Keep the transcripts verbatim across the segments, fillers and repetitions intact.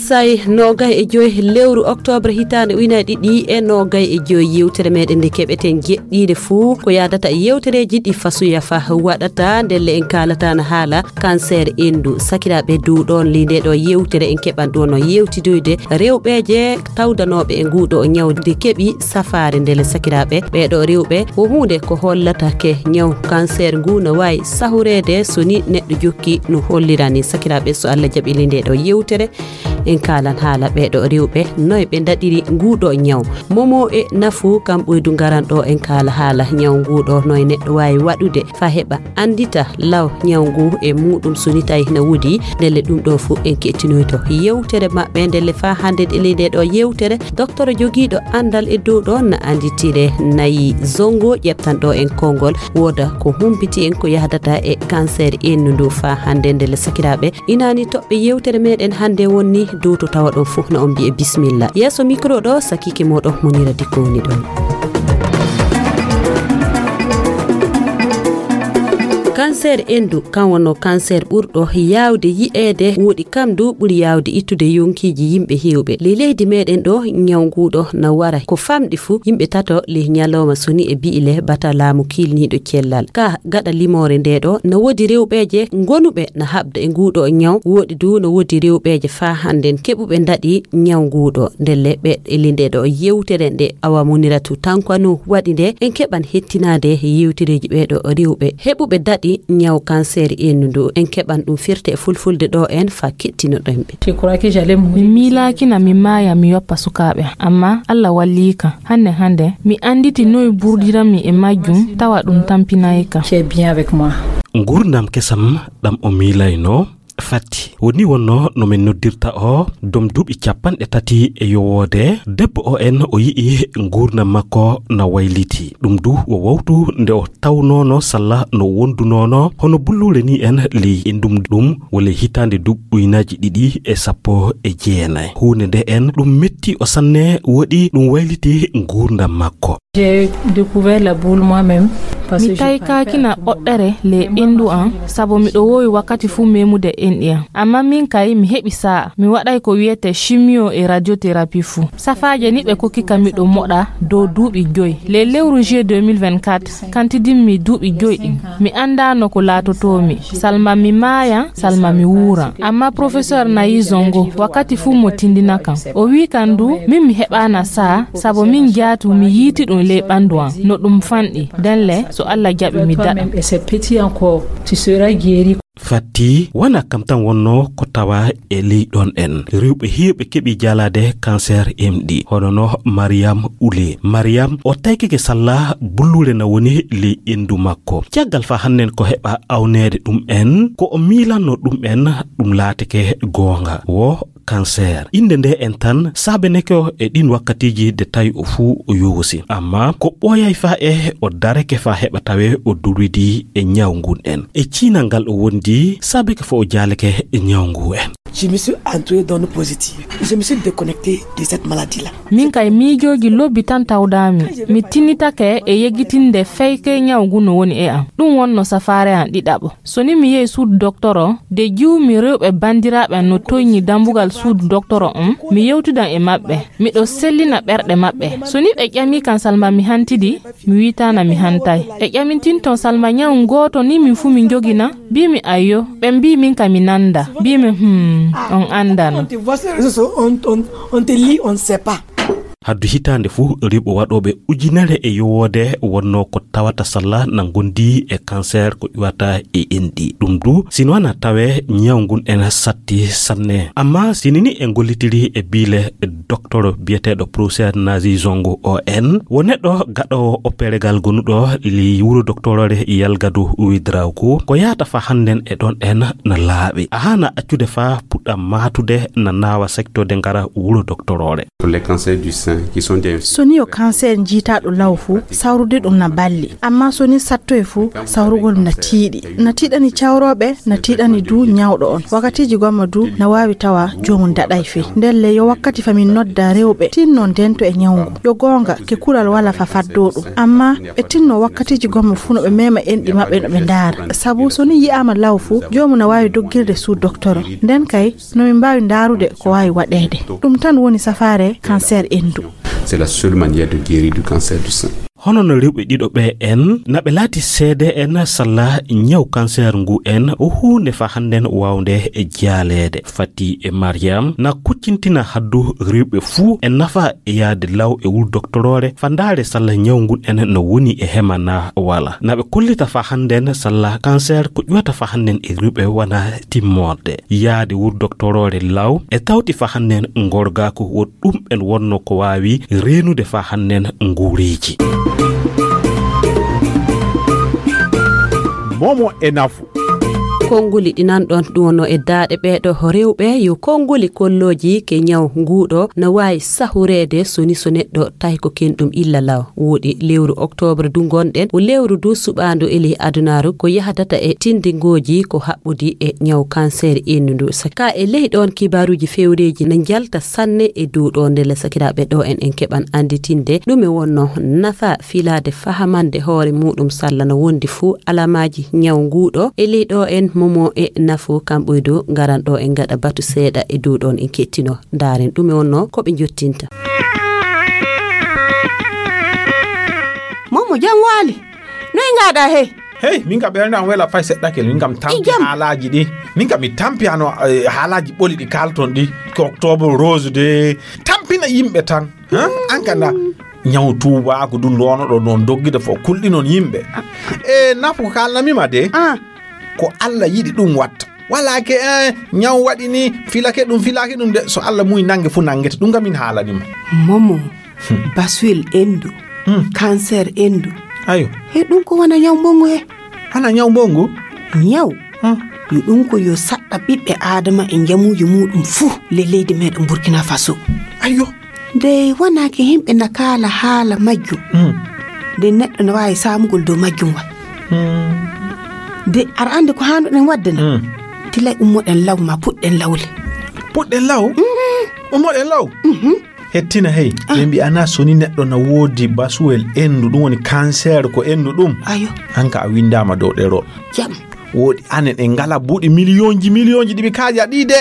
Sa'i noogay e joy lewru oktoobre hitaande ujunaaji ɗiɗi e noogay e joy, yewtere meɗen nde keɓeten jeɗɗiire fuu ko yaadata e yewtereeji ɗi fasuya fa waɗata. Ndelle en kaalata na haala cancer enndu. Sakiraaɓe, dow ɗoon ley nde ɗo yewtere en keɓan ɗo no yewtidoyde rewɓeeje tawdanooɓe e nguuɗo ñaw nde keɓi safaare. Ndelle sakiraaɓe, ɓee ɗo rewɓe ko huunde ko hollata ke ñaw cancer ngu no waawi sahureede so ni neɗɗo jokki no hollira ni. Sakiraaɓe, so Allah jaɓi ley nde ɗo yewtere, en kaalan haala ɓee ɗo rewɓe, noy ɓe ndaɗiri nguuɗo ñaw. Momo e nafu kam ɓoydu ngaran ɗo, en kaala haala ñaw nguuɗo, noy neɗɗo waawi waɗude fa heɓa anndita law ñaw ngu e muɗum so ni tawi hina woodi. Ndelle ɗum ɗo fof en kettinoyto yewtere maɓɓe. Ndelle fa hannde e ley nde ɗo yewtere, doktoro jogiiɗo anndal e dow ɗo na annditire nayi zongo ƴeɓtan ɗo en konngol. Wooda ko humpiti en ko yahdata e cancer ennu ndu fa hannde. Ndelle sakiraaɓe, inaani toɓɓe yewtere meɗen hannde wonni dow to tawa ɗon fof na on mbiye bismilla. Yeeso micro ɗo sakike moɗon Munira Dikko woni ɗon. Cancer endu, kan wonno cancer ɓurɗo yaawde yi'eede, woɗi kam du ɓuri yaawde ittude yonkiiji yimɓe heewɓe. Ley leydi meɗen ɗo, ñaw nguɗo na wara ko famɗi fuu, yimɓe tato ley ñalawma soni e bi'ile bata laamu kiilniiɗo cellal. Ka gaɗa limoore nde ɗo, na woodi rewɓeeje ngonuɓe na haɓda e nguɗo ñaw, woɗi du na woodi rewɓeeje faa hannden keɓuɓe ndaɗi ñaw nguɗo. Ndelle ɓe e ley nde ɗo yewtere nde Awa Muniratu Tankwa no waɗi nde, en keɓan hettinaade yewtereeji ɓee ɗo rewɓe heɓuɓe daɗi ñaw cancer ennu ndu. En keɓan ɗum firte e fulfulde ɗo en fa kettinoɗen ɓe. Je crois que j'allais mourir. Mi miilaakina mi maaya mi yoppa sukaaɓe, amma Allah walliika. Hannde hannde, mi annditi noy burdiranmi e majjum, tawa ɗum tampinayka. Qui est bien avec moi. Nguurndam kesam ɗam o miilayno, Fati. Woni wonno no min noddirta o, dom duuɓi capanɗe tati e yowoode, debbo o en o yi'i nguurndam makko na wayliti. Ɗum du o wawtu nde o tawnoono salla no wondunoono hono bulluule ni en ley e ndum ɗum wole hitaande duuɓi ujunaaji ɗiɗi e sappo e jeenay. Huunde nde en ɗum metti o sanne, woɗi ɗum wayliti nguurndam makko. J'ai découvert la boule moi-même. Parce que mi je taykaakina préfère oɗɗere le endu an, sabu miɗo woowi wakkati fuu memude enɗi an. Amma min kay, mi heɓi sa'a. Mi waɗay ko wiyete chimio e radiothérapie fuu. Safaaje ni ɓe kokki ka miɗo moɗa dow duuɓi joy. Le lewru juillet deux mille vingt-quatre, kantidinmi duuɓi joy ɗin. Mi anndaano ko laatotoomi. Salma mi maayan, salma mi wuuran. Amma professeur Nayi Zongo, wakkati fuu mo tindina kan. O wii kan du, min mi heɓaana sa'a, sabu min jaatu mi yiiti ɗum ley ɓandu an, no ɗum fanɗi. Denle, so Allah jaɓi mi daɗa. Toi-même et ces petits encore, tu seras guéri. Fatti, wona kam tan wonno ko tawa e ley ɗon en. Rewɓe heewɓe keɓi jaalaade cancer M D, hono no Mariam Ule. Mariam, o taykike salla bulluule na woni ley endu makko. Caggal fa hannen ko heɓa awneede ɗum en, ko o miilanno ɗum en, ɗum laatike goonga. Wo cancer. Innde nde en tan saabeneke o e ɗin wakkatiiji de tawi o fuu o yowsi. Amma ko ɓooyay fa e o dareke fa heɓa tawe o durwidi e ñaw ngun en. E ciinal ngal o wondi saabeke fo o jaaleke e ñaw ngu en. Je me suis entouré d'ondes positives. Je me suis déconnecté de cette maladie-là. Min kay miijooji lobbi tan tawdaami. Mi tinnitake e yeggitinde feyke ñaw ngu no woni e am. Ɗum wonno safaare am ɗiɗaɓo. So ni mi yehi suudu doktoro, de jiwmi rewɓe banndiraaɓe am no toyni dambugal suudu doktoro on, mi yewtidan e maɓɓe. Miɗo sellina ɓerɗe maɓɓe. So ni ɓe ƴami kan salma mi hantidi, mi wiitaana mi hantay. Ɓe ƴamintinton salma ñaw ngooto ni min fuu min njogina? Mbiimi ayyo. Ɓe mbii min ka mi nannda. Mbiimi hmm, on anndano. On te lit, on ne sait pas. Haddu hitaande fuu, rewɓe waɗooɓe ujunere e yowoode wonnoo ko tawata salla na ngondi e cancer ko ƴuwata e enɗi. Ɗum du, sino wana tawe ñaw ngun en satti sanne. Amma sinini e ngollitiri e biile doktoro biyeteeɗo professeur Nazi Zongo O N, wo neɗɗo gaɗoowo operegal gonuɗo ley wuro doktorore Yalgadu Widrauku, ko yahata fa hannden e ɗon en na laaɓi. A haana accude fa puɗɗa maatude na naawa sektoode ngara wuro doktorore. Pour les cancers du sein. So ni yo cancer jiitaaɗo law fuu, sawrude ɗum na balli. Ammaa so ni sattoye fuu, sawrugol na tiiɗi. Na tiiɗani cawrooɓe, na tiiɗani du ñawɗo on. Wakkatiiji gomma du na waawi tawa joomum daɗay fey. Ndelle yo wakkati fa min nodda rewɓe tinno ndento e ñawngu. Yo goonga, ke kural wala fa faddoo ɗum. Ammaa ɓe tinno wakkatiiji gomma fuu no ɓe meema enɗi maɓɓe no ɓe ndaara. Sabu so ni yi'aama law fuu, joomum na waawi doggirde suu doktoro. Nden kay, no min mbaawi ndaarude ko waawi waɗeede. Ɗum tan woni safaare cancer enndu. C'est la seule manière de guérir du cancer du sein. Hono no rewɓe ɗiɗo ɓe en, na ɓe laati seede en salla ñaw cancer ngu en, o huunde fa hannden waawnde e jaaleede. Fati e Mariam na kuccintina haddu rewɓe fuu e nafa e yaade law e wul doktoroore fa ndaare salla ñaw ngun en no woni e hema na wala. Na ɓe kollita fa hannden salla cancer ko ƴuwata fa hannden e rewɓe wana timmorde. Yaade wur doktoroore law e tawti fa hannden ngorgaaku wo ɗum en wonno ko waawi reenude fa hannden nguureeji. Momo e nafu. Konnguli ɗi nanɗon ɗum wonno e daaɗe ɓeeɗo rewɓe yo konnguli kollooji ke ñaw nguuɗo na waawi sahureede so ni so neɗɗo tawi ko ken ɗum illa law. Woɗi lewru oktoobre du ngonɗen, o lewru du suɓaandu e ley adunaaru ko yahdata e tindingooji ko haɓɓudi e ñaw kanseer enndu ndu. Saka e ley ɗoon kibaaruuji fewreeji na njalta sanne e dow ɗoon ndelle sakiraaɓe ɗo en en keɓan annditinde ɗume wonno nafa filaade fahamande hoore muɗum salla no wondi fuu alamaaji ñaw nguuɗo e ley ɗo en momo e nafu kamɓoy dow ngaran ɗo en ngaɗa batu seeɗa e dow ɗoon en kettino ndaaren ɗume wonno ko ɓe njottinta. Momo jam waali. Noy ngaɗa hey? Hey, min ka ɓernde am wela fay seɗɗa kel, min kam tampi haalaaji ɗi. Min kam mi tampi hano eh, haalaaji ɓoli ɗi kalton ɗi. Ko octobre rose de. Tampina yimɓe tan. Hein? An kanda ñaw tuubaaku du ndono ɗo non doggida fo kulɗi non yimɓe. E nafu ko kalnamima de. Ah. Ko Allah yiɗi ɗum watta. Wala ke eh, ñaw waɗi ni filake ɗum filake ɗum de so Allah muy nange fu nangete ɗum kam min haalanima. Momo. Baswel endu. Hmm. Cancer endu. Ayo. He ɗum ko wona ñaw mbongu he? Hana ñaw mbongu? Ñaw. Hmm. Yo ɗum ko yo saɗɗa ɓiɓɓe Adama e njamuuji muɗum fuu le leydi meɗen Burkina Faso. Ayo. Nde wonaki yimɓe na kaala haala majjum. Hmm. Nde neɗɗo na waawi saamugol dow majjum wa. Hmm. Nde aɗa anndi ko haanduɗen waɗde na? Hmm. Tilay ummoɗen law ma puɗɗen lawle. Puɗɗen law? Mhm. Ummoɗen law? Mhm. Hettina hey, ah. Ɓe mbi'ana so ni neɗɗo na woodi basuwel endu, ɗum woni cancer ko endu ɗum. Ayo. An ka a windaama dow ɗero. Jam. Woodi anen en ngala buuɗi miliyonji miliyonji ɗi ɓe kaaja ɗi de.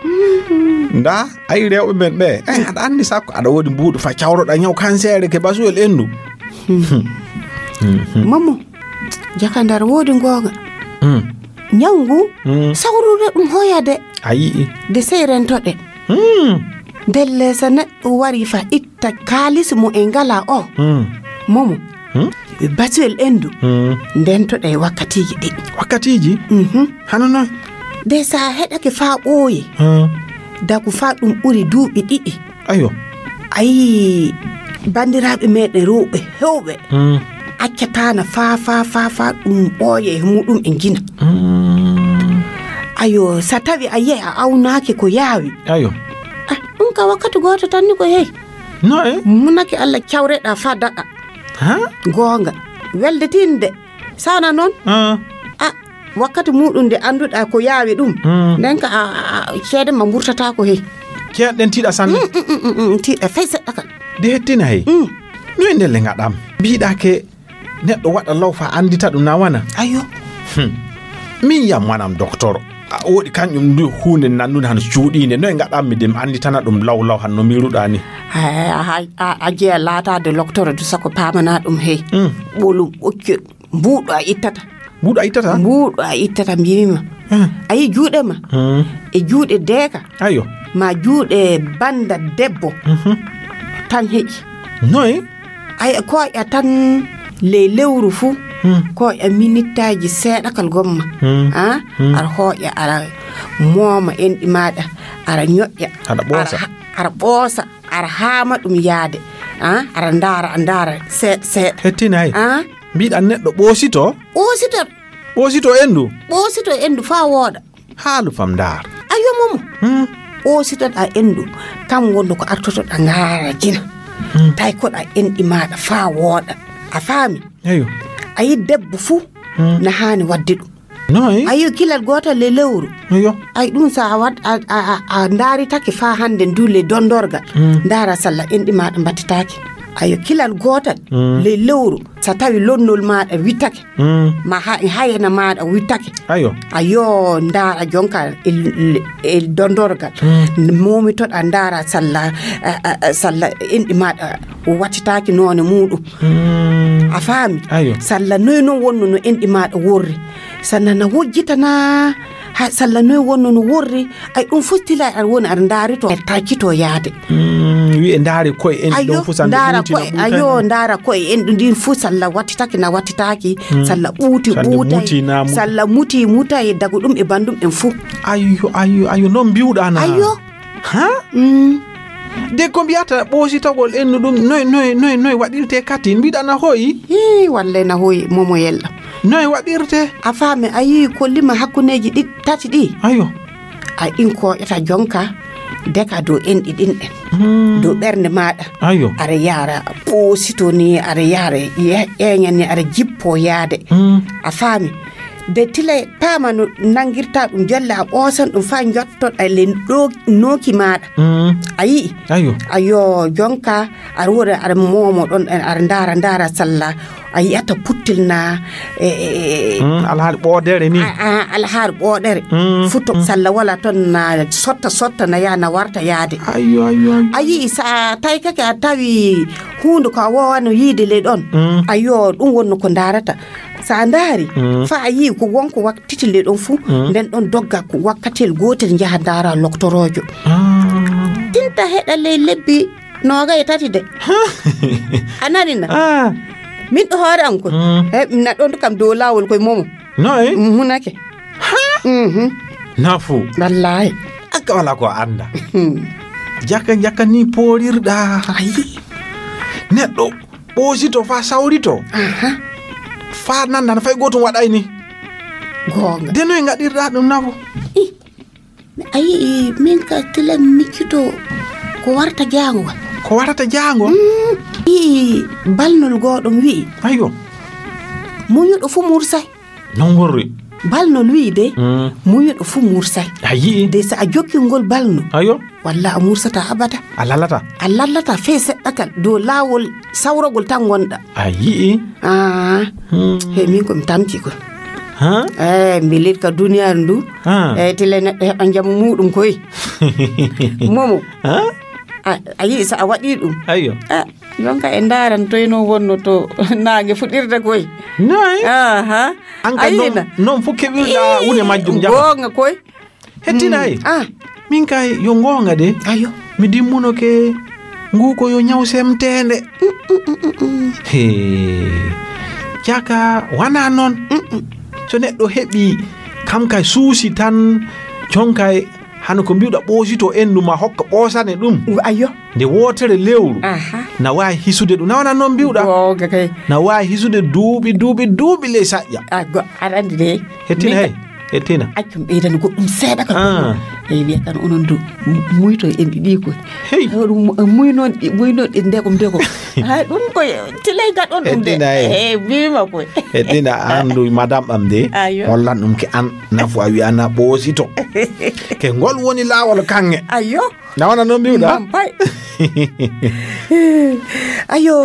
Mm. Nda, ayi rewɓe men ɓe. Eh, aɗa anndi sakko aɗa woodi mbuuɗu fa cawroɗa ñaw cancer ke basuwel endu. Hmm. Hmm. Momo, jakandar woodi ngoonga. Hmm. Ñaw ngu, hmm. Sawrude ɗum hoyade. A yi'i. De sey rentoɗe. Hmm. Ndelle so neɗɗo wari fa itta kaalis mo e ngala o. Hmm. Momo. Hmm? Batuwel endu. Hmm. Ndentoɗe wakkatiiji ɗi. Wakkatiiji? Mhm. Hano noy? De sa heɗake fa ɓooye. Hmm. Daku fa ɗum ɓuri duuɓi ɗiɗi. Ayo. Ayi, banndiraaɓe meɗen rewɓe hewɓe. Hmm. Accataana fa fa fa fa ɗum ɓooye e muɗum e jina. Hmm. Ayo, sa tawi a yehi a awnaaki ko yaawi. Ayo. Ah, ɗum ka wakkati gooto tan ni ko hey. No e? Munaki Allah cawreɗa fa daɗa. Ha? Goonga. Welde tinde. Sana noon? Ah. Ah, wakkati muɗum nde annduɗa ko yaawi ɗum. Hmm. Nden ka a, a, a, ceede ma mburtata ko hey. Ceeɗe ɗen tiiɗa sanne. Mm, mm, mm, mm, mm, tiiɗa fay seɗɗa kan. De hettina hey. Mm. No e ndelle ngaɗam. Mbiɗa ke neɗɗo waɗa law fa anndita ɗum na wana. Ayo. Hmm. Min yam wanam docteur. A woɗi kanƴum ndu huunde nanndude hano cuuɗiinde. No e ngaɗammi de mi annditana ɗum law law hano mbiruɗa ni. Hay, a, a, a jeya laataade docteur du sako paamana ɗum hey. Hmm. Ɓolum ɓoccol. Mbuuɗo a ittata. Mbuuɗo a ittata? Mbuuɗo a ittata mbimi ma. Hmm. A yi juuɗe ma. Hmm. E juuɗe deeka. Ayo. Ma juuɗe bannda debbo. Mhm. Tan heƴi. Noy? Ay, koƴa tan ley lewru fuu. Hmm. Koƴa minittaaji seeɗakal gomma. Hmm. Ah? Hmm. Ara hoƴa, ara mooma enɗi maaɗa, ara ñoƴƴa. Aɗa ɓoosa. Ara ha-, ara ɓoosa, ara haama ɗum yaade. Ah? Ara ndaara, a ndaara seeɗa, seeɗa. Hettinay. Ah? Mbiɗa neɗɗo ɓoosito? Ɓoosito. Ɓoosito endu? Ɓoosito endu faa wooɗa. Haalu fam ndaar. Ayo momo. Hmm. Ɓoositoɗa endu. Kam wonno ko artotoɗa ngaara jina. Tawi koɗa enɗi maaɗa faa wooɗa. A faami? Eyo. A yi debbo fuu na haani waɗde ɗum. No, eh? Ayo, kilal gootal e lewru. Eyo. Ay, ɗum so a waɗ-, a, a, a, a ndaaritake faa hannde ndu le dondorgal. Ndaara salla enɗi maaɗa mbattitaake. Ayo, kilal gootal le lewru. So tawi lonnol maaɗa wittake. Ma ha-, hayana maaɗa wittake. Ayo. Ayo, ndaara jonka e, e, e dondorgal. Momitoɗa ndaara salla, a, a, a, salla enɗi maaɗa wattitaaki noone muuɗum. A faami? Ayo. Salla noy non wonno no enɗi maaɗa worri. Sanna na wojjitana, ha salla noy wonno no worri. Ay, ɗum fof tila aɗa woni aɗa ndaari to, aɗa taccito yaade. Wi'e ndaare koye enɗi ɗon fof sannde ndaara ɓuuti na koye, ɓuuta ayo, na. Ndaara koye enɗi ɗin fof salla wattitake na wattitaki, salla ɓuuti sannde ɓuutay, muti na muta. Salla muti mutay, dago ɗum e bandum en fof. Ayo, ayo, ayo, non mbiwɗa na. Ayo. Ha? De ko mbiyata ɓoositagol ennu ɗum, noy, noy, noy, noy waɗirte katin? Mbiɗa na hoyi? Hii, walle na hoyi, momo yella. Noy waɗirte? A faami, a yii ko lima hakkundeeji ɗi, tati ɗi? Ayo. A in koƴata jonka, deka dow enɗi ɗin ɗen. Dow ɓernde maaɗa. Ayo. Aɗa yaara ɓoosito ni, aɗa yaara ye-, ƴeeña ni, aɗa jippo yaade. A faami? De tile paama no nanngirta ɗum, jolle a ɓoosan ɗum faa njottoɗa le ɗo nooki maaɗa. A yi'i? Ayo. Ayo, jonka, aɗa wona, aɗa moomo ɗon, aɗa ndaara, ndaara salla. A yi'ata puttil na, e, e, e, alhaali ɓoodere ni. A, a, alhaali ɓoodere. Futo salla wala ton na sotta, sotta na yaa na warta yaade. Ayo, ayo, ayo. A yi'i, so a taykake a tawi huunde ko a woowano yiide le ɗon. Ayo, ɗum wonno ko ndaarata. So a ndaari, faa a yii ko wonko wattiti le ɗon fuu, nden ɗon dogga ko wakkatiyel gootel njaha ndaara loktoroojo. Tinta heɗa ley lebbi nooga e tati de. A nani na? Min ɗo hoore am koy. He, na ɗon kam dow laawol koy momo. No e? Hunake. Nafu. Wallaahi. Akka wala ko annda. Jaka, jaka ni poorirɗa. Ayi. Neɗɗo ɓoosito faa sawrito. Faa nannda no fay gootum waɗay ni. Goonga. De noy ngaɗirɗa ɗum, Nafu? Ih, a yi'i, min ka tila miccito ko warta jaango. Ko warta jaango? Yi'i balnol gooɗom wi'i. Ayo. Muñuɗo fu mursay. Non worri. Balnol wi'i de, muñuɗo fu mursay. A yi'i? De so a jokki ngol balnol. Ayo. Walla a mursata abada. A lallata? A lallata fee seɗɗa kal. Dow laawol sawragol tan ngonɗa. A yi'i? Ah. He, min ko mi tamti ko. Ha? Eh, mbilit ka duniyaaru ndu. Eh, tile neɗɗo heɓa njamu muuɗum koy. Momo. Ha? A, a yi'i so a waɗi ɗum. Ayo. Ah, jonka e ndaaran toy non wonno to naange fuɗirde koy. Noy? Aha. An ka non, non fof keɓirɗa wune majjum jaɓa. Goonga koy. Hettinay. Min kay yo ngoonga de. Ayo. Mi dimmuno ke ngu ko yo ñaw semteende. He. Jaka wana non. So neɗɗo heɓi kam kay suusi tan, jonkay hano ko mbiwɗa ɓoosito endu ma hokka ɓoosane ɗum. Ayo. Nde wootere lewru. Aha. Na waawi hisude ɗum. Na wona non mbiwɗa? Goonga kay. Na waawi hisude duuɓi, duuɓi, duuɓi ley saƴƴa. A go-, aɗa anndi de. Hettina. Min hey. Hettina. Accum ɓeydani goɗɗum seeɗa kam. Ah. Eyi, wiya kan onon du, muyto en ɗiɗi ko. Hey. Hoɗum mu-, muynon ɗi, muynon ɗi ndegom ndegom. Hay ɗum ko tilay gaɗon ɗum de. Hettina, hey. Eyi, mbima ko. Hettina, an du madame am de. Ayo. Hollan ɗum ke an nafu a wi'ana ɓoosito. Ke ngol woni laawol kanŋe. Ayo. Na wona non mbiwɗa? Mbam pay. Ayo,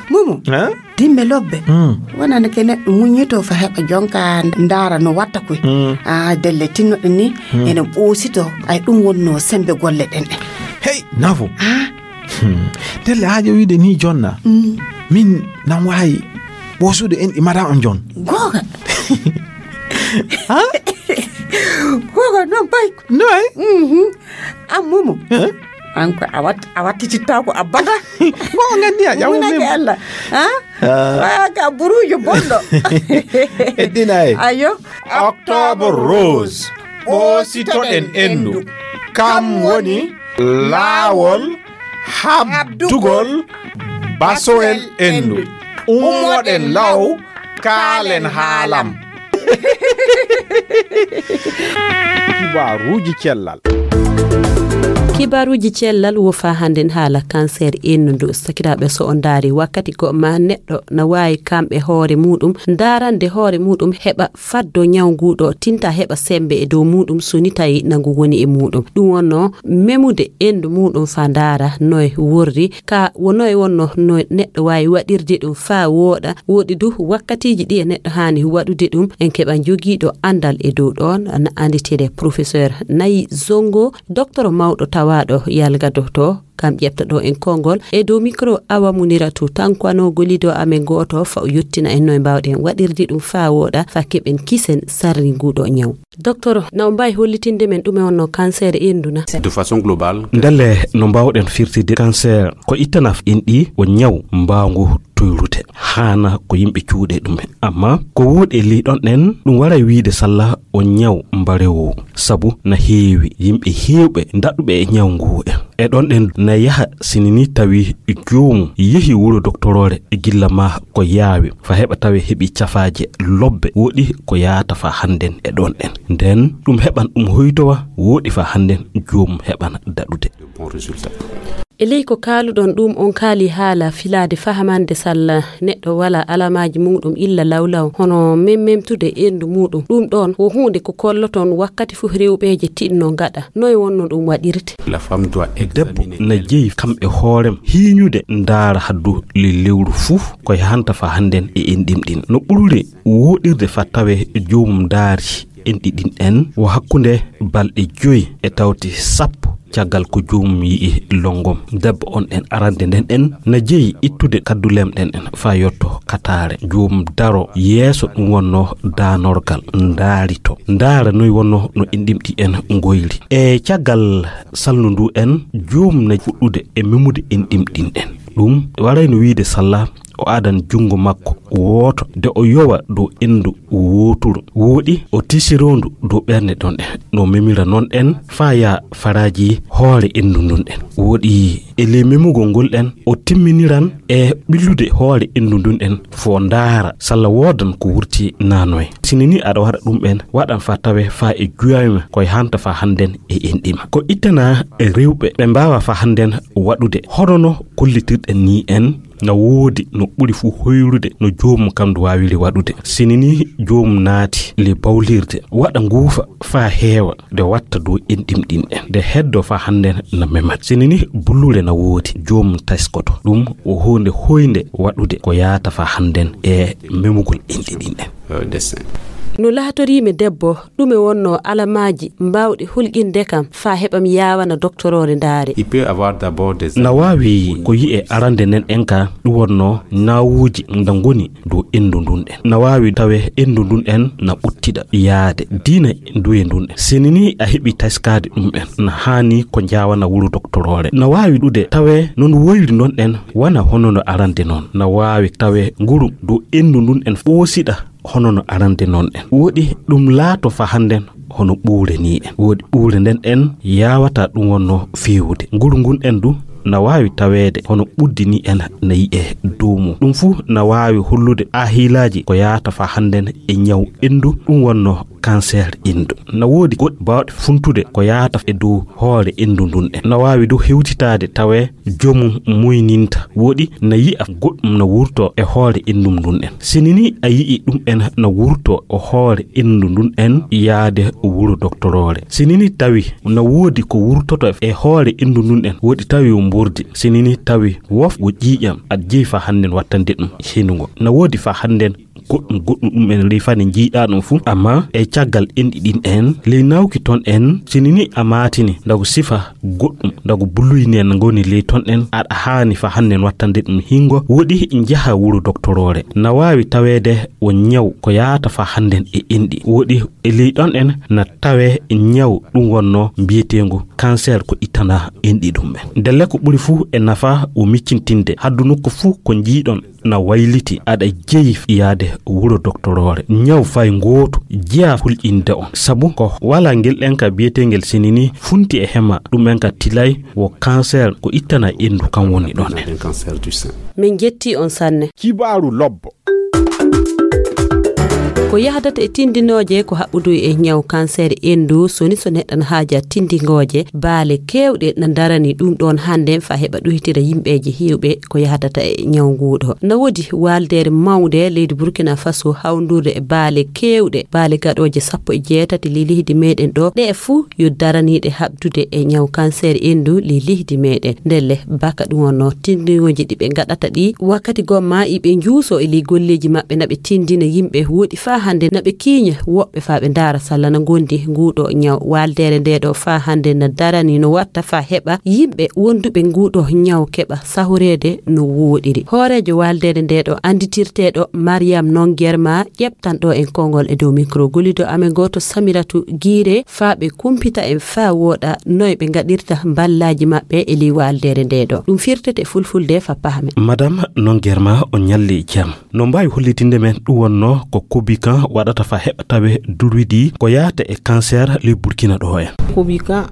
Mumu. Hein? Dimme lobbe. Hmm. Wonana ke neɗɗo muññito fa heɓa jonka ndaara no watta koy. Hmm. Ah, delle tinnoɗe ni, hmm, ene ɓoosito. Ay ɗum wonno sembe golle ɗen ɗen. Hey, Nafu. Ah. Hmm. Delle haajo wiide ni jonna. Hmm. Min nan waawi ɓoosude en ɗi madame on jon. Googa. Ha? Googa non pay. Noy? Mhm. An Mumu. Hein? An ko a wat-, a wattitittaako abada. Mo o nganndi a ƴamu. Munake min. Allah. Ha? Ah. Waya ka buruujo bonɗo. Heddinay. Ayo. Octobre Rose. Ɓoositoɗen endu. Kam woni laawol habdugol basoel endu. Ummoɗen law, kaalen haalam. Kibaaruuji cellal. Kibaruuji cellal wo faa hannden haala kanseer enndu. Sakiraaɓe, so on ndaari wakkati goo ma neɗɗo na waawi kam e hoore muuɗum, ndaarande hoore muuɗum heɓa faddo ñaw nguu ɗoo, tinta heɓa semmbe e dow muuɗum, so ni tawi na ngu woni e muuɗum. Ɗum wonnoo memude enndu muuɗum faa ndaara noy worri, ka wo noy wonnoo no neɗɗo waawi waɗirde ɗum faa wooɗa. Woodi du wakkatiiji ɗi e neɗɗo haani waɗude ɗum. En keɓa jogiiɗo anndal e dow ɗoon, na annditee professeur Nayi Zongo, doktoro mawɗo tawaaɗo yalgadoto, kam ƴefta ɗo en konngol. E dow mikro, Awa Muniratu Tankwano, gollido amen gooto, fa o yottina en noy mbaawɗen waɗirde ɗum faa wooɗa, fa keɓen kisen sarri nguuɗo ñaw. Doktoro, na on mbaawi hollitinde men ɗume wonnoo kanseer enndu na? De façon globale. Ndelle, no mbaawɗen firtide kanseer ko ittana enɗi, o ñaw mbaangu toyrude. Haana ko yimɓe cuuɗe ɗum. Amma ko wooɗi e ley ɗon ɗen, ɗum waray wiide salla o ñaw mbarewo. Sabu na heewi yimɓe heewɓe daɗuɓe e ñaw ngu. E ɗon ɗen na yaha sini ni tawi joomum yehi wuro doktoroore gilla ma ko yaawi, fa heɓa tawe heɓi cafaaje lobbe woɗi ko yaata fa hannden e ɗon ɗen. Nden ɗum heɓan ɗum hoytowa woɗi fa hannden joomum heɓana daɗude. E ley ko kaaluɗon ɗum, on kaali haala filaade fahamande salla neɗɗo wala alamaaji muuɗum illa lawlaw, hono memmemtude enndu muuɗum. Ɗum ɗon wo huunde ko kolloton wakkati fof rewɓeeje tinno ngaɗa. Noy wonno ɗum waɗirte? Debbo na jeyi kam e hoorem hiiñude ndaara haddu ley lewru fof ko yahanta fa hannden e enɗim ɗin. No ɓururi wooɗirde fa tawe joomum ndaari enɗi ɗin en wo hakkunde balɗe joyi e tawti sappo caggal ko joomum yi'i longom. Debbo on en arande nden en na jeyi ittude kaddulem ɗen en fa yotto kataare. Joomum daro yeeso ɗum wonno daanorgal, ndaarito, ndaara noy wonno no enɗimɗi en ngoyri. E caggal salndu ndu en, joomum na fuɗɗude e memude enɗimɗin en. Ɗum warayno wiide salla o adan junngo makko wooto de o yowa dow enndu wooturu. Wooɗi o tisirondu dow ɓernde ɗon en. No memira non en faa yaa faraaji hoore enndu ndun en. Wooɗi e ley memugol ngol en o timminiran e ɓillude hoore enndu ndun en fo ndaara salla woodan ko wurti nanoy. Sini ni aɗa waɗa ɗum en waɗan faa tawe faa e juyaama koye hanta faa hannden e enɗima. Ko ittana e rewɓe ɓe mbaawa faa hannden waɗude hono no kollitirɗen ni en. Na woodi no ɓuri fuu hoyrude no joomum kam ndu waawiri waɗude. Sini ni joomum naati ley bawlirde, waɗa nguufa faa heewa, nde watta dow enɗim ɗin en, nde heddo faa hannden na memat. Sini ni bullure na woodi, joomum tayskoto. Ɗum wo huunde hoynde waɗude ko yaata faa hannden e memugol enɗi ɗin en. No laatorii mi debbo, ɗume wonnoo alamaaji mbaawɗi hulƴinde kam faa heɓa mi yaawana doktoroore ndaare? Na waawi ko yi'e arande nden en ka ɗum wonnoo ñawuuji nda ngoni dow enndu ndun en. Na waawi tawe enndu ndun en na ɓuttiɗa yaade diina nduye ndun en. Sini ni a heɓi taskaade ɗum en, na haani ko njaawana wuro doktoroore. Na waawi ɗude tawe non woyri non en wana hono no arande non. Na waawi tawe nguru dow enndu ndun en ɓoosiɗa hono no arande non en. Woɗi ɗum laato fa hannden hono ɓuure ni en. Woɗi ɓuure nden en yaawata ɗum wonno feewude. Nguru ngun en du na waawi taweede hono ɓuddi ni en na yi'e dow mum. Ɗum fuu na waawi hollude a hiilaaji ko yaata fa hannden e ñaw enndu ɗum wonno kanseer enndu. Na woodi goɗɗi baawɗe funtude ko yaata e dow hoore enndu ndun en. Na waawi du hewtitaade tawe joomum muyninta. Woɗi na yi'a goɗɗum na wurto e hoore enndu ndun en. Sini ni a yi'i ɗum en na wurto e hoore enndu ndun en yaade wuro doktoroore. Sini ni tawi na woodi ko wurtoto e hoore enndu ndun en, woɗi tawi o mbordi. Sini ni tawi wof wo ƴiiƴam, aɗa jeyi fa hannden wattande ɗum henungo. Na woodi fa hannden goɗɗum goɗɗum ɗum en ley fane njiiɗaa ɗum fuu, amma e caggal enɗi ɗin en ley nawki ton en, sini ni a maatini ndago sifa goɗɗum ndago buluy nen ngoni ley ton en, aɗa haani fa hannden wattande ɗum hingo, woɗi njaha wuro doktoroore. Na waawi taweede wo ñaw ko yaata fa hannden e enɗi. Woɗi e ley ɗon en na tawe ñaw ɗum wonno mbiyeteengu kanseer ko ittana enɗi ɗum en. Ndelle ko ɓuri fuu e nafa wo miccintinde haddu nokku fuu ko njiiɗon na wayliti aɗa jeyi yaade wuro doktoroore. Ñaw fay ngootu jeyaa hulƴinde on. Sabu ko wala ngel ɗen ka biyeteengel sini ni funti e hema ɗum en ka tilay wo kanseer ko ittana enndu kan woni ɗon en. Min jetti on sanne. Kibaaru lobbo. Ko yahdata e tindinooje ko haɓɓudu e ñaw kanseer enndu, soni so neɗɗo na haaja tindingooje, baale keewɗe na darani ɗum ɗoon hannde faa heɓa ɗoytira yimɓeeje heewɓe ko yahdata e ñaw nguu ɗoo. Na woodi waaldeere mawnde leydi Burkina Faso hawndurde e baale keewɗe, baale gaɗooje sappo e jeetati ley leydi meeɗen ɗoo, ɗe fuu yo daraniiɗe haɓdude e ñaw kanseer enndu ley leydi meeɗen. Ndelle, baka ɗum wonno tindinooji ɗi ɓe ngaɗata ɗi, wakkati gomma iɓe njuuso e ley golleeji maɓɓe na ɓe tindina yimɓe woɗi faa hannde na ɓe kiiña woɓɓe faa ɓe ndaara salla na ngondi nguuɗo ñaw. Waaldeere nde ɗo faa hannde na darani no watta faa heɓa yimɓe wonduɓe nguuɗo ñaw keɓa sahoreede no wooɗiri. Hooreejo waaldeere nde ɗo annditirteeɗo Mariam Nongerma ƴeɓtanɗo en konngol e dow mikro gollido amen gooto Samiratu Giire faa ɓe kumpita en faa wooɗa noy ɓe ngaɗirta mballaaji maɓɓe e ley waaldeere nde ɗo. Ɗum firtete fulfulde faa pahamen. Madame Nongerma, on ñalli jam. No mbaawi hollitinde men ɗum wonno ko Kobikan waɗata faa heɓa tawe dulwidi ko yaata e kanseer ley Burkina ɗo en?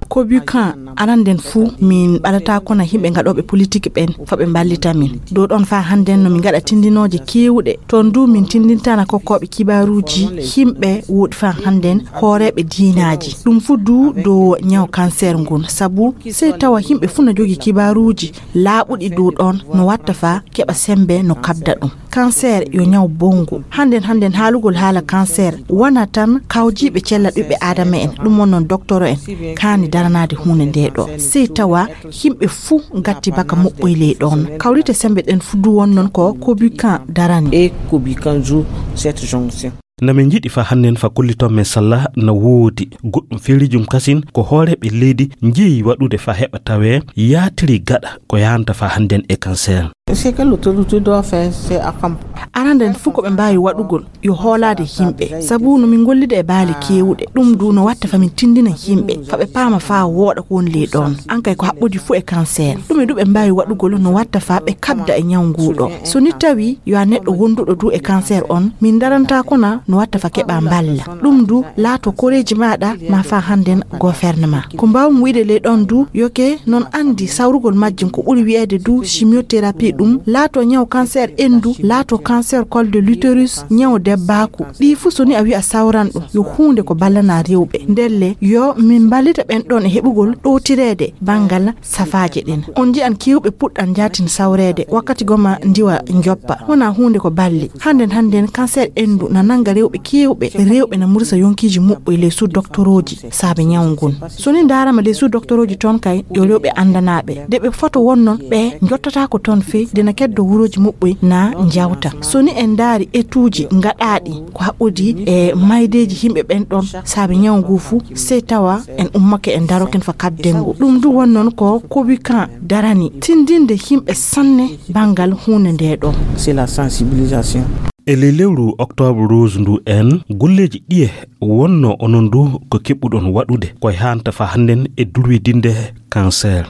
Kobikan, aranden fuu, min ɓadata kono yimɓe ngaɗooɓe politik ɓen faa ɓe mballita min. Dow ɗon faa hannden no min ngaɗa tindinooje keewɗe. Toon du min tindintana kokkooɓe kibaaruuji yimɓe woɗi faa hannden hooreeɓe diinaaji. Ɗum fuu du dow ñaw kanseer ngun. Sabu sey tawa yimɓe fuu na jogii kibaaruuji laaɓuɗi dow ɗon no watta faa keɓa semmbe no kaɓda ɗum. Kanseer yo ñaw bonngu. Hannden, hannden haalugol haala kanseer wonaa tan kawjiiɓe cella ɓiɓɓe aadama en, ɗum wonno doktoro en kaani daranaade huunde nde ɗo. Sey tawa yimɓe fuu ngatti baka moƴƴoy ley ɗon. Kawrite semmbe ɗen fuu du wonnon ko Kobikan darani. Et Kobikan joue cette jonction. Na min njiɗi faa hannden faa kolliton men salla na woodi goɗɗum feeriijum kasin ko hooreeɓe leydi njeyi waɗude faa heɓa tawee yaatiri gaɗa ko yahanta faa hannden e kanseer. C'est que l'autorité doit faire, c'est accompagner. Aranden fuu ko ɓe mbaawi waɗugol yo hoolaade yimɓe, sabu no min ngollida e baale keewɗe. Ɗum du no watta faa min tindina yimɓe faa ɓe paama faa wooɗa ko woni ley ɗon. An kay ko haɓɓodi fuu e kanseer. Ɗume du ɓe mbaawi waɗugol no watta faa ɓe kaɓda e ñaw nguu ɗo? So ni tawi yo a neɗɗo wonduɗo du e kanseer on, min ndarantaa kona no watta faa keɓa mballa. Ɗum du laato koreeji maaɗa maa faa hannden gofernemaa. Ko mbaawmi wi'ude ley ɗon du, yo ke non anndi sawrugol majjum ko ɓuri wi'eede du chimiothérapie, ɗum laato ñaw kanseer enndu, laato kanseer col de l'utérus, ñaw debbaaku. Ɗii fuu so ni a wi'a sawran ɗum, yo huunde ko ballana rewɓe. Ndelle, yo min mballita ɓen ɗon e heɓugol ɗowtireede banngal safaaje ɗen. On nji'an keewɓe puɗɗan njaatin sawreede, wakkati goma ndiwa njoppa. Wonaa huunde ko balli. Hannden, hannden kanseer enndu na nannga rewɓe keewɓe. Rewɓe na mursa yonkiiji muɓɓoy ley suu doktorooji saabe ñaw ngun. So ni ndaarama ley suu doktorooji ton kay, yo rewɓe anndanaaɓe. De ɓe foto wonnon ɓe njottataako ton fey, de na keddo wurooji muɓɓoy na njawta. So ni en ndaari etuuji ngaɗaaɗi ko haɓɓodi e maydeeji yimɓe ɓen ɗon saabe ñaw ngu fuu, sey tawa en ummake en daroken faa kaɓden ngu. Ɗum du wonnon ko Kobikan darani, tindinde yimɓe sanne banngal huunde nde ɗo. C'est la sensibilisation. E ley lewru octobre rose ndu en, golleeji ɗiye wonno onon du ko keɓɓuɗon waɗude ko yahanta faa hannden e dulwidinde kanseer?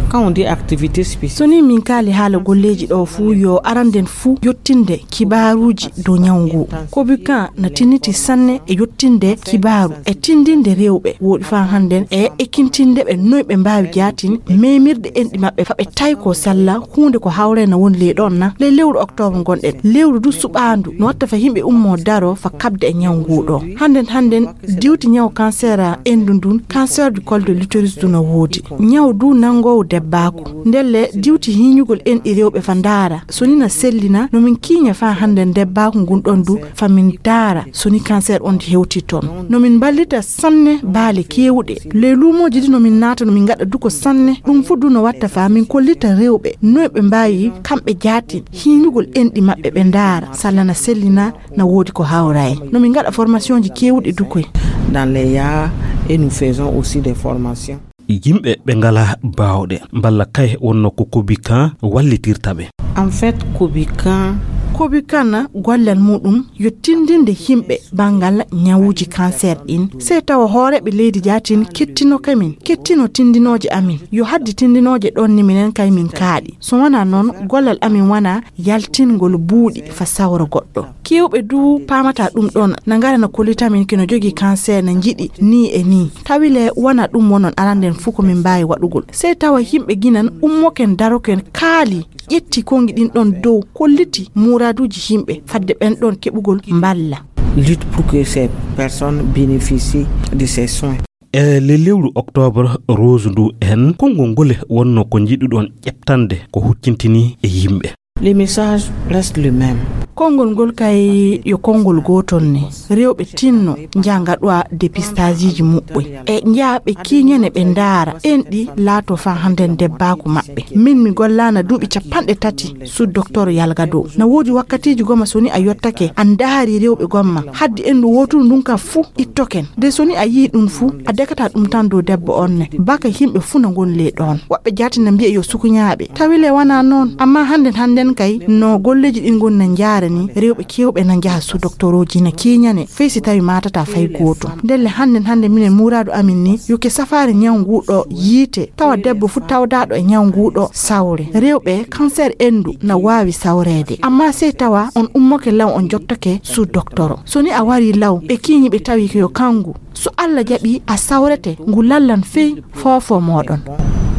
Quand on dit activité spécifique. So ni min kaali haala golleeji ɗo fuu, yo aranden fuu yottinde kibaaruuji dow ñaw ngu. Kobikan na tinniti sanne e yottinde kibaaru e tindinde rewɓe woɗi faa hannden e ekkintinde ɓe noy ɓe mbaawi jaatin memirɗe enɗi maɓɓe faa ɓe taykoo salla huunde ko hawre na woni ley ɗon na. Ley lewru octobre ngonɗen, lewru du suɓaandu no watta faa yimɓe ummoo daroo faa kaɓda e ñaw ngu ɗo. Hannden, hannden diwti ñaw kanseer enndu ndun, cancer du col de l'utérus du na woodi. Ñaw du nanngoowu debbaaku. Ndelle diwti hiiñugol enɗi rewɓe faa ndaara so ni na sellina, no min kiiña faa hannden debbaaku ngun ɗon du faa min ndaara so ni kanseer on hewti ton. No min mballita sanne baale keewɗe. Ley luumooji ɗi no min naata no min ngaɗa du ko sanne. Ɗum fuu du no watta faa min kollita rewɓe noy ɓe mbaawi kamɓe jaatin hiiñugol enɗi maɓɓe ɓe ndaara salla na sellina na woodi ko hawra en. No min ngaɗa formationji keewɗi du koy. Dans les yard et nous faisons aussi des formations. Yimɓe ɓe ngalaa baawɗe mballa kay wonno ko Kobikan wallitirta ɓe. En fait, Kobikan. Kobikan gollal muuɗum yo tindinde yimɓe banngal ñawuuji kanseer ɗin. Sey tawa hooreeɓe leydi jaatin kettinoke min, kettino tindinooje amin. Yo haddi tindinooje ɗon ni minen kay min kaaɗi. So wonaa non, gollal amin wonaa yaltingol buuɗi faa sawra goɗɗo. Keewɓe du paamataa ɗum ɗon, na ngara na kollita min kino jogii kanseer na njiɗi nii e nii. Tawi le wonaa ɗum wonon aranden fuu ko min mbaawi waɗugol. Sey tawa yimɓe ginan ummoken daroken kaali ƴetti konngi ɗin ɗon dow kolliti muuraaduuji yimɓe fadde ɓen ɗon keɓugol mballa. lutte pour que ces personnes bénéficient de ces soins. E le lewru octobre rose ndu en, konngol ngol wonno ko njiɗuɗon ƴeɓtande ko huccintini e yimɓe? Le message reste le même. Konngol ngol kay yo konngol gootol ne. Rewɓe tinno njaha ngaɗoya dépistageji muɓɓoy. E njaha ɓe kiiñane ɓe ndaara. Enɗi laato faa hannden debbaaku maɓɓe. Min mi gollaana duuɓi capanɗe tati sous docteur Yalga Dow. Na woodi wakkatiiji goma so ni a yottake a ndaari rewɓe gomma. Haddi enɗu wooturu ndun ka fuu ittoken. De so ni a yi'i ɗun fuu, a dekata ɗun tan dow debbo on ne. Baka yimɓe fuu na ngoni ley ɗon. Woɓɓe jaati na mbi'a yo sukuñaaɓe. Tawi le wanaa non. Amma hannden hannden kay no golleeji ɗin ngoni na njaara ni, rewɓe keewɓe na njaha sous docteurooji na kiiñane, fey si tawi maatataa fay gootum. Ndelle hannden hannden minen muuraadu amin ni, yo ke safaare ñaw nguu ɗoo yiite, tawa debbo fuu tawdaaɗo e ñaw nguu ɗoo sawre. Rewɓe, cancer enɗu na waawi sawreede. Amma sey tawa on ummoke law on jottake sous docteur. So ni a warii law, ɓe kiiñi ɓe tawi ko yo kangu. So Alla jaɓii a sawrete, ngu lallan fey foofo mooɗon.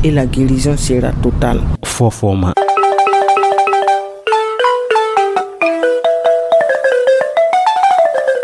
Et la guérison sera totale. Foofo ma.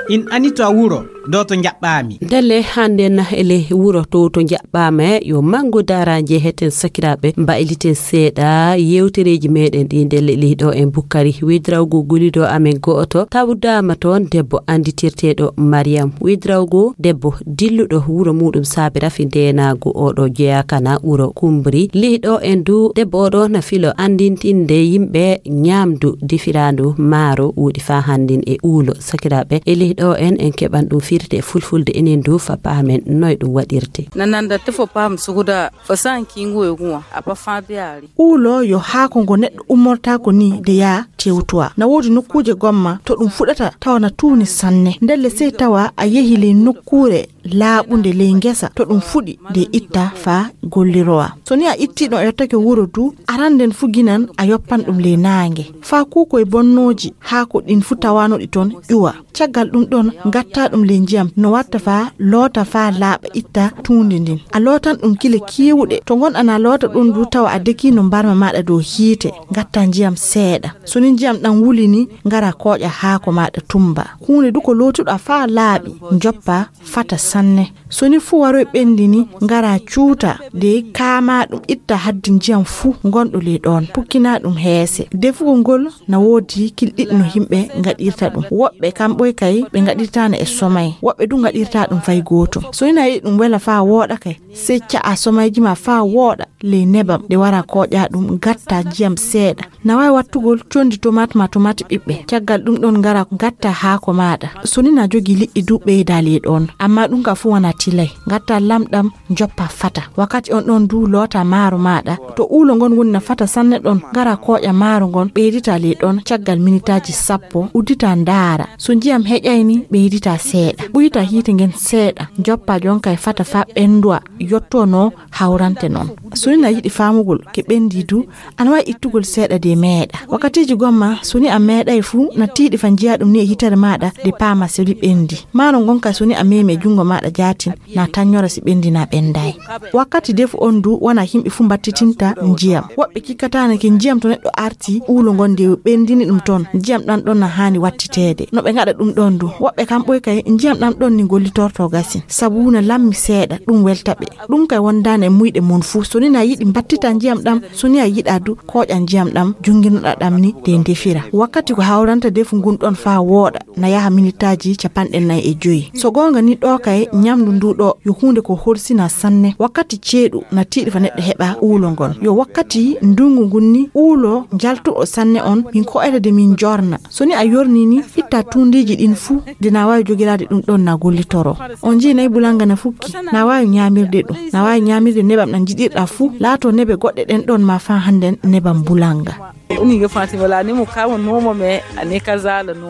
In ani to a wuro, ɗo to njaɓɓaami. Ndelle hannden e ley wuro to, to njaɓɓaama, yo manngu daara njeeheten sakiraaɓe, mbayliten seeɗa yeewtereeji meeɗen ɗi ndelle ley ɗo en bukkari. Widrawgo guliɗo amen go'oto tawdaama toon, debbo annditirteeɗo Mariyam. Widrawgo debbo dilluɗo wuro muuɗum saabe rafi ndeenaagu, oɗo jeyaa kana wuro Kumbri. Ley ɗo en du, debbo oɗo na filo anndintinde yimɓe ñaamdu defiraandu maaro wuuɗi faa hannden e uulo. Sakiraaɓe, e ley ɗo en, en keɓan ɗum firte e fulfulde enen du faa paamen noy ɗum waɗirte. Na nanda tefo paam suguda fo san kingu e guwa a pa faa be ari. Uulo yo haako ngo neɗɗo ummortaako ni de yaa tewtuwa. Na woodi nokkuuje gomma to ɗum fuɗata tawa na tuuni sanne. Ndelle sey tawa a yehi ley nokkuure laaɓunde ley ngesa to ɗum fuɗi de itta faa gollirowa. So ni a ittii ɗum a yottake wuro du, aran nden fu ginan a yoppan ɗum ley naange. Faa kuukoy bonnooji haako ɗin fu tawaanoɗi toon ƴuwa. Caggal ɗum ɗon, ngatta ɗum ley njiyam no watta faa loota faa laaɓa itta tuundi ndin. A lootan ɗum kile keewuɗe. To ngonɗa na loota ɗum du tawa a dekii no mbarma maaɗa dow hiite, ngatta njiyam seeɗa. So ni njiyam ɗam wuli ni, ngara kooƴa haako maaɗa tumba. Huunde du ko lootuɗa faa laaɓi, njoppa fata sanne. So ni fuu waroy ɓendi ni, ngara cuuta de kaama ɗum itta haddi njiyam fuu ngonɗo ley ɗon. Pukkina ɗum heese. Defugol ngol na woodi kilɗiɗi no yimɓe ngaɗirta ɗum. Woɓɓe kamɓoy kay ɓe ngaɗirtaano e somay. Woɓɓe du ngaɗirta ɗum fay gootum. So ni na yiɗi ɗum wela faa wooɗa kay, sey ca'a somayji ma faa wooɗa ley nebam de wara kooƴa ɗum ngatta njiyam seeɗa. Na waawi wattugol condi tomat maa tomat ɓiɓɓe. Caggal ɗum ɗon ngara ngatta haako maaɗa. So ni na jogii liƴƴi du ɓeyda ley ɗon. Amma ɗum ka fuu wanaa tilay. Ngatta lamɗam njoppa fata. Wakkati on ɗon du loota maaro maaɗa. To uulo ngon woni na fata sanne ɗon, ngara kooƴa maaro ngon ɓeydita ley ɗon caggal minitaaji sappo, uddita ndaara. So njiyam heƴay ni, ɓeydita seeɗa. Ɓuyta hiite ngen seeɗa. Njoppa jonka e fata faa ɓenduwa, yotto no hawrante non. So ni na yiɗi faamugol ke ɓendi du, ana waawi ittugol seeɗa de meeɗa. Wakkatiiji gomma, so ni a meeɗay fuu, na tiiɗi faa njiya ɗum ni e hitere maaɗa de paama so ni ɓendi. Maaro ngon ka so ni a meemi e junngo maaɗa jaatin, na tannyora si ɓendi na ɓenday. Wakkati defu on du, wanaa yimɓe fuu mbattitinta njiyam. Woɓɓe kikkataano ke njiyam to neɗɗo arti, uulo ngon de ɓendini ɗum ton. Njiyam ɗam ɗon na haani wattiteede. No ɓe ngaɗa ɗum ɗon du. Woɓɓe kamɓoy kay, njiyam ɗam ɗon ni gollitorto gasin. Sabu na lammi seeɗa, ɗum welta ɓe. Ɗum kay wondaani e muyɗe mon fuu. So ni na yiɗi mbattita njiyam ɗam, so ni a yiɗa du, kooƴa njiyam ɗam, junnginoɗa ɗam ni, de ndefira. Wakkati ko hawranta defu ngun ɗon faa wooɗa, na yaha minitaaji capanɗe nayi e joyi. So goonga ni ɗo kay, ñamdu ndu ɗo yo huunde ko horsina sanne. Wakkati ceeɗu na tiiɗi faa neɗɗo heɓa uulo ngon. Yo wakkati ndungu ngun ni uulo njaltuɗo sanne on, min ko'oyta de min jorna. So ni a yorni ni, itta tuundiiji ɗin fuu, de na waawi jogiraade ɗum ɗon na gollitoro. On njii nayi bulanga na fukki, na waawi ñaamirde ɗum, na waawi ñaamirde nebam ɗam njiɗirɗa fuu, laato nebe goɗɗe ɗen ɗon ma faa hannden nebam bulanga. Uni ga Fatima la ni mu kama nomo me a ne ka zala no.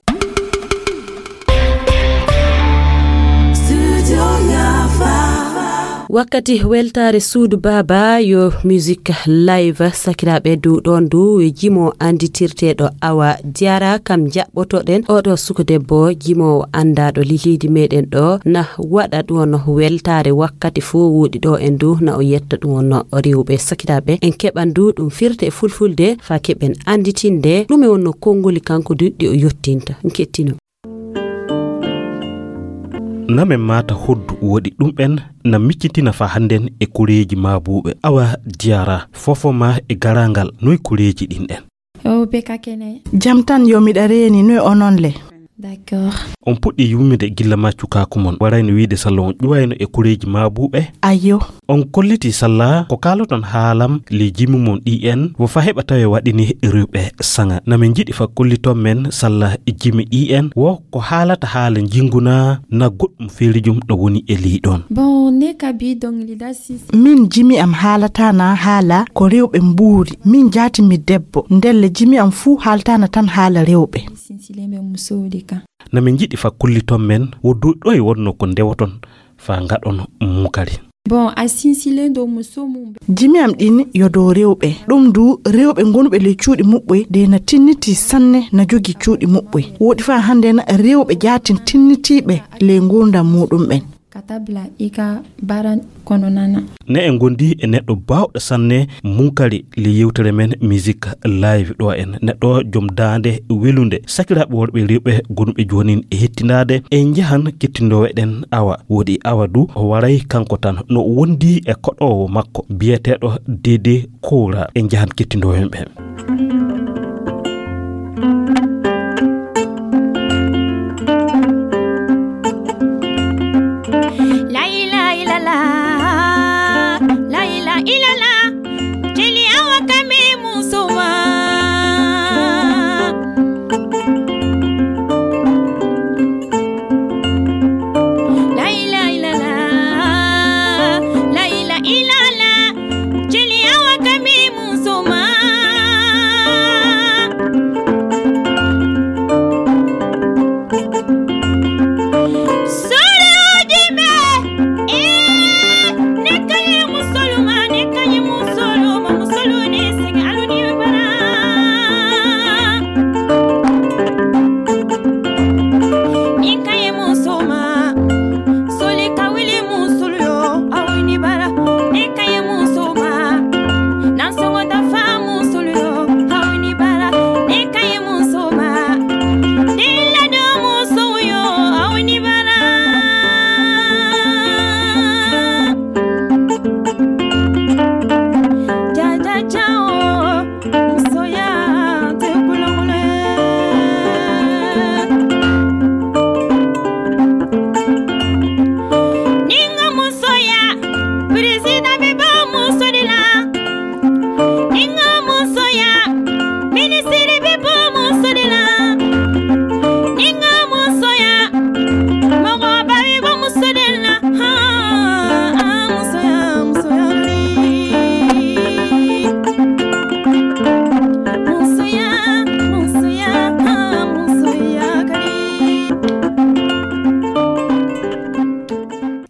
Wakkati weltaare suudu baaba yo musique live sakiraaɓe du ɗon du jimo anditirteeɗo Awa Diarra kam jaɓɓotoɗen oɗo suko debbo jimoowo andaaɗo lilidi meɗen ɗo na waɗa ɗon weltaare wakkati fof woɗi ɗo en du na o yetta ɗum wonno rewɓe sakiraaɓe en keɓan du ɗum firte e fulfulde fa keɓen anditinde ɗume wonno konngoli kanko du ɗi o yottinta kettino. Na men maata hoddu woɗi ɗum ɓen na miccitina fa hannden e koreeji maabuuɓe. Awa Diyara, fofo ma e garangal, noy koreeji ɗin ɗen? O be ka kene. Jam tan, yo miɗa reeni, noy onon le? D'accord. On puɗɗi yummude gilla ma cukaaku mon, warayno wiide salla on ƴuwayno e koreeji maabuuɓe? Ayyo. On kolliti salla ko kaaloton haalam le jimi mon ɗi en, wo fa heɓa tawe waɗini rewɓe saŋa. Na min jiɗi fa kolliton men salla jimi ɗi en, wo ko haalata haala njingu na, na goɗɗum feerijum ɗo woni e ley ɗon. Bon, ne ka bi dɔnkilida sinsin. Min jimi am haalata na haala ko rewɓe mbuuri. Min jaati mi debbo. Ndelle jimi am fuu haaltana tan haala rewɓe. Sinsilen bɛ musow de kan. Na min jiɗi fa kolliton men wo dow ɗoye wonno ko ndewoton fa ngaɗon munkari. Bon, a sinsilen do muso mum bɛ. Jimi am ɗin yo dow rewɓe. Ɗum du rewɓe gonuɓe ley cuuɗi muɓɓoy de na tinniti sanne na jogi cuuɗi muɓɓoy. Woɗi fa hannden rewɓe jaatin tinnitiiɓe ley ngurdam muɗum ɓen. Ka tabla i ka baara kɔnɔna na. Ne en gondi e neɗɗo baawɗo sanne munkari le yewtere men Music Live ɗo en. Neɗɗo jom daande welunde. Sakiraaɓe worɓe rewɓe gonuɓe joonin e hettinaade, en njahan kettindoowe ɗen awa. Woɗi awa du o waray kanko tan. No o wondi e koɗoowo makko biyeteeɗo Dede Kora. En njahan kettindoowe ɓe. La ilaha illallah, la ilaha illallah, jeli awa kame musuma. La ilaha illallah, la ilaha illallah, jeli awa kame musuma. Sore ojime, eh, ne kaye musoluma, ne kaye musoluma, musoluni sigi aluni bara. Ni kaye musoma, soli kawili musulu yo, awini bara. Ni kaye musoma, nan songo dafa musulu yo, awini bara. Ni kaye musoma, dilla do musu yo, awini bara. Ja, ja, ja, oh. Musoya te kulongule. Ninga musoya, président bi ba muso de la. Ninga musoya, ministre bi ba muso de la. Ninga musoya, mɔgɔ ba bi ba muso de la.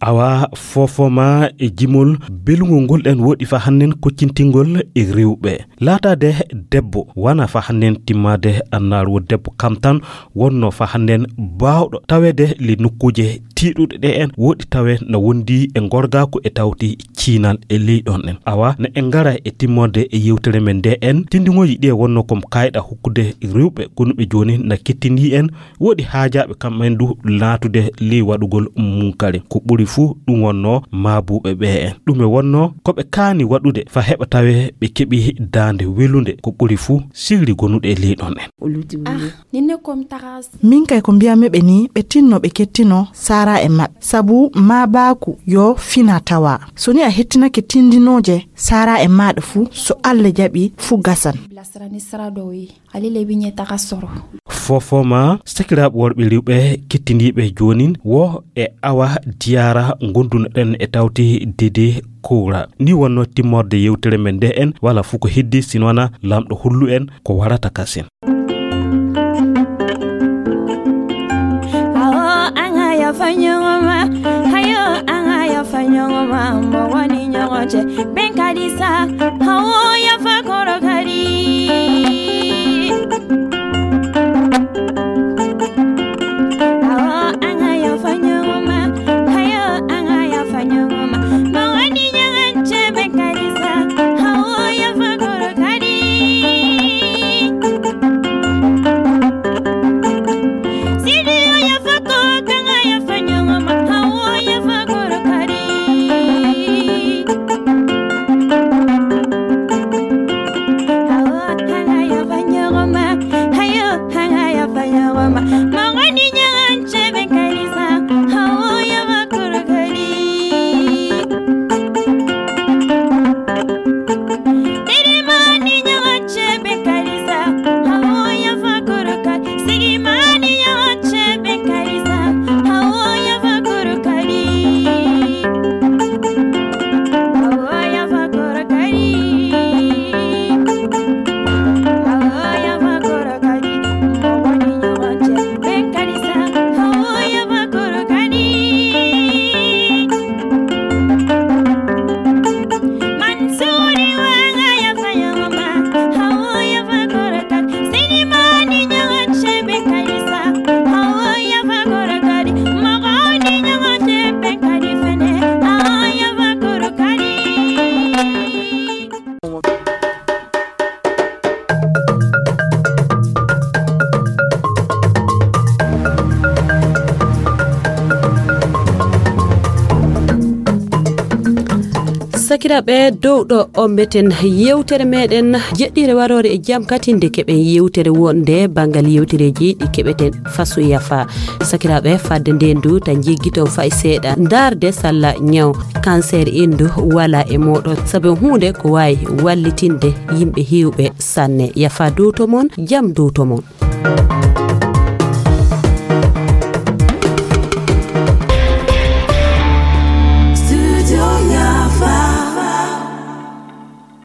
Awa fofoma e jimol belungol ngol ɗen woɗi fa hannen koccintingol e rewɓe. Laataade debbo wana fa hannen timmaade annaar wo debbo kam tan wonno fa hannden baawɗo taweede le nokkuuje tiiɗuɗe ɗe en woɗi tawe na wondi e ngorgaaku e tawti ciinal e ley ɗon en. Awa na en ngara e timmorde e yewtere men nde en tinndingooji ɗi e wonno kom kayɗa hokkude rewɓe gonuɓe jooni na kettindii en woɗi haajaaɓe kam en du laatude ley waɗugol munkari. Ko ɓuri fuu ɗum wonno maabuuɓe ɓe en. Ɗum e wonno ko ɓe kaani waɗude fa heɓa tawe ɓe keɓi daande welunde ko ɓuri fuu sirri gonuɗe e ley ɗon en. Nin ne kom tagas. Min kay ko mbiyammi ɓe ni ɓe tinno ɓe kettino sara e maɓɓe sabu ma baaku yo fina tawa so ni a hettinake tindinooje sara e maɗa fuu so allah jaɓi fuu gasan. Bilasirani sira dɔ ye ale le bi ɲɛ taga sɔrɔ. Fofoma sakiraaɓe worɓe rewɓe kettindiiɓe joonin wo e awa diyara gondunoɗen e tawti dede kowra ni wonno timmorde yewtere men nde en wala fuu ko heddi sinwana lamɗo hollu en ko warata kasin. Awo an ka yafa ɲɔgɔn ma, hayo an ka yafa ɲɔgɔn ma, mɔgɔ ni ɲɔgɔn cɛ bɛn ka di sa. Awo yafa kɔrɔ ka di. Awo an ka yafa ɲɔgɔn ma, hayo an ka yafa ɲɔgɔn ma, mɔgɔ ni ɲɔgɔn cɛ bɛn ka di sa. Awo yafa kɔrɔ ka di. Sidi yafa ko kan ka yafa ɲɔgɔn ma. Sakiraaɓe, dow ɗo o meten yewtere meɗen jeɗɗire waroore e jam katinde keɓen yewtere wonde banngal yewtereeji ɗi keɓeten fasu yafa. Sakiraaɓe, fadde nde ndu ta jiggiton fay seeɗa ndaarde salla ñaw cancer indu wala e moɗon, sabu huunde ko wawi wallitinde yimɓe hewɓe sanne. Yafa dow to mon, jam dow to mon.